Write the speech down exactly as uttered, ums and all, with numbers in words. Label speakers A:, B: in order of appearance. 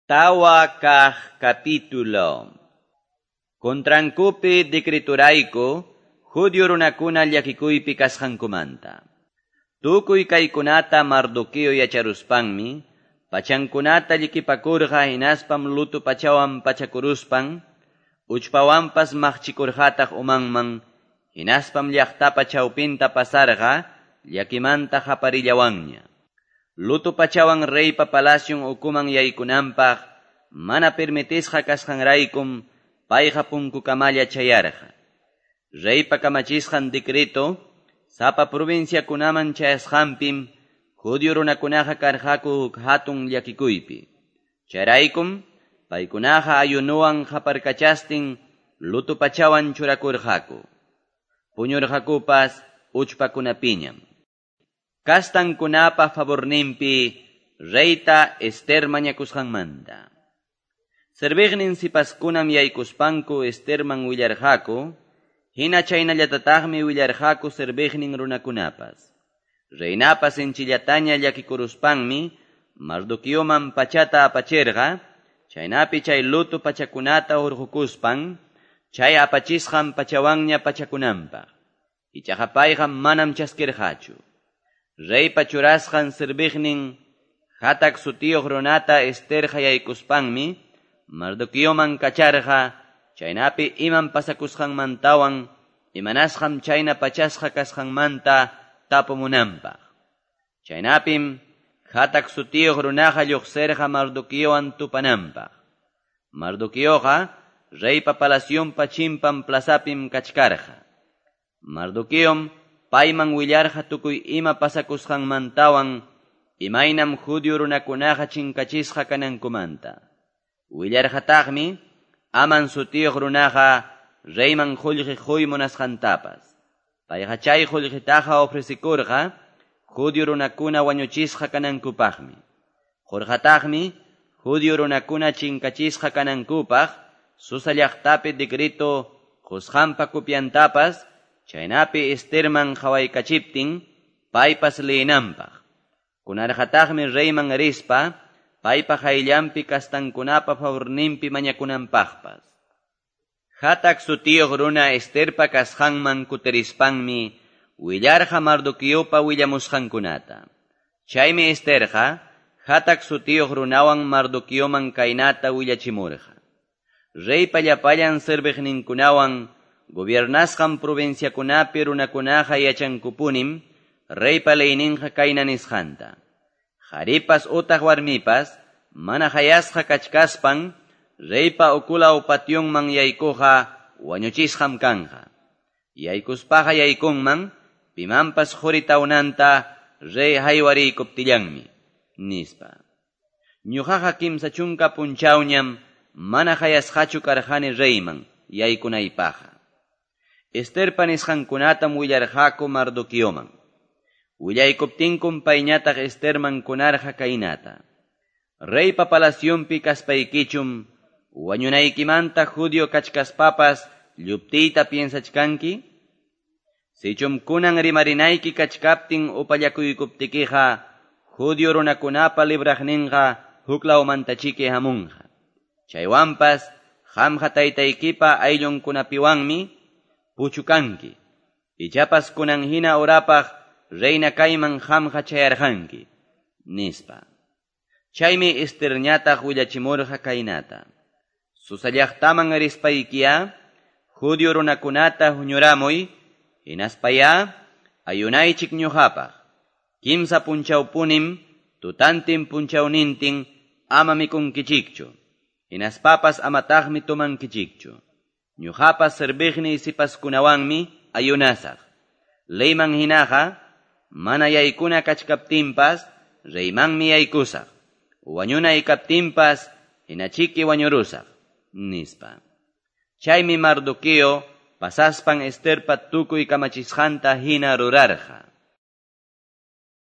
A: Tawa kaq capítulo. Contrankupi decreturayku, judio runakuna llakikuypi kasqankumanta. Tukuy kaykunata Mardoqueo yacharuspanmi, pachankunata llikipakurqa hinaspam luto pachawan pachakuruspan, uchpawanpas maqchikurqataq umanman, hinaspam llaqtapa chawpinta pasarqa, llakimanta qaparillawanña. Luto pachawan reypa palacion ukuman yaykunanpaq, mana permitisqa kasqanraykum, payqa punkukamalla chayarqa. Reypa kamachisqan decreto, sapa provinciakunaman chayasqanpim, judio runakunaqa karqaku huk hatun llakikuypi. Chayraykum, paykunaqa ayunuwan qaparkachastin luto pachawan churakurqaku. Puñurqakupas uchpakunapiñam. Kastankunapa favorninpi reyta Ester mañakusqanmanta. Serviqnin sipaskunam yaykuspanku Esterman willarqaku, hina chaynallatataqmi willarqaku serviqnin runakunapas. Reinapas sinchillataña llakikuruspanmi Mardoqueoman pachata apachirqa, chaynapi chay luto pachakunata hurqukuspan, chay apachisqan pachawanña pachakunanpaq. Ichaqa payqa manam chaskirqachu. Reypa churasqan serviqnin Hatac sutiyuq runata Ester hayaykuspanmi Mardoqueoman kacharqa, chaynapi iman pasakusqanmantawan imanasqam chayna pachasqa kasqanmanta tapumunanpaq. Chaynapim Hatac sutiyuq runaqa lluqsirqa Mardoqueowan tupananpaq. Mardoqueoqa reypa palacionpa chimpan plazapim kachkarqa. Mardoqueom payman willarqa tukuy ima pasakusqanmantawan imaynam judio runakunaqa chinkachisqa kanankumanta. Willarqataqmi Aman sutiyuq runaqa reyman qullqi quy munasqantapas. Payqa chay qullqitaqa ofrecikurqa judio runakuna wañuchisqa kanankupaqmi. Qurqataqmi judio runakuna chinkachisqa kanankupaq Susa llaqtapi decreto qusqanpa copiantapas, chaynapi Esterman qawaykachiptin paypas leenanpaq. Kunarqataqmi reyman rispa paypa hayllanpi kastankunapa favorninpi mañakunanpaqpas. Hatac sutiyuq runa Esterpa kasqanman kutirispanmi willarqa Mardoqueopa willamusqankunata. Chaymi Esterqa Hatac sutiyuq runawan Mardoqueoman kaynata willachimurqa. Reypa llapallan serviqninkunawan gobiernasqan provinciakunapi runakunaqa yachankupunim reypa leyninqa kayna nisqanta. Qharipas utaq warmipas mana hayasqa kachkaspan reypa ukulaw pationman yaykuqa wañuchisqam kanqa. Yaykuspaqa yaykunman pimanpas quri tawnanta rey haywariykuptillanmi, nispa. Ñuqaqa kimsa chunka punchawñam mana hayasqachu karqani reyman yaykunaypaqqa. Esterpa nisqankunatam willarqaku Mardoqueoman. Willaykuptinkum payñataq Esterman kunarqa kaynata. Reypa palacionpi kaspaykichum wañunaykimanta judio kachkaspapas lluptiyta piensachkanki? Sichum kunan rimarinayki kachkaptin upallakuykuptikiqa judio runakunapa libraqninqa huklawmantachiki hamunqa. Chaywanpas qamqa taytaykipa ayllunkunapiwanmi puchukanki. Ichapas kunan hina urapaq reina kayman qamqa chayarqanki, nispa. Chaymi Esterñataq willachimurqa kaynata. Susa llaqtaman rispaykiya judio runakunata huñuramuy, hinaspaya ayunaychik ñuqapaq. Kimsa punchawpunim tutantin punchawnintin ama mikunkichikchu, hinaspapas amataqmi tumankichikchu. Ñuqapas serviqniy sipaskunawanmi ayunasaq. Leyman hinaqa mana yaykuna kachkaptinpas reymanmi yaykusaq. Wañunay kaptinpas hinachiki wañurusaq, nispa. Chaymi Mardoqueo pasaspan Esterpa tukuy kamachisqanta hina rurarqa.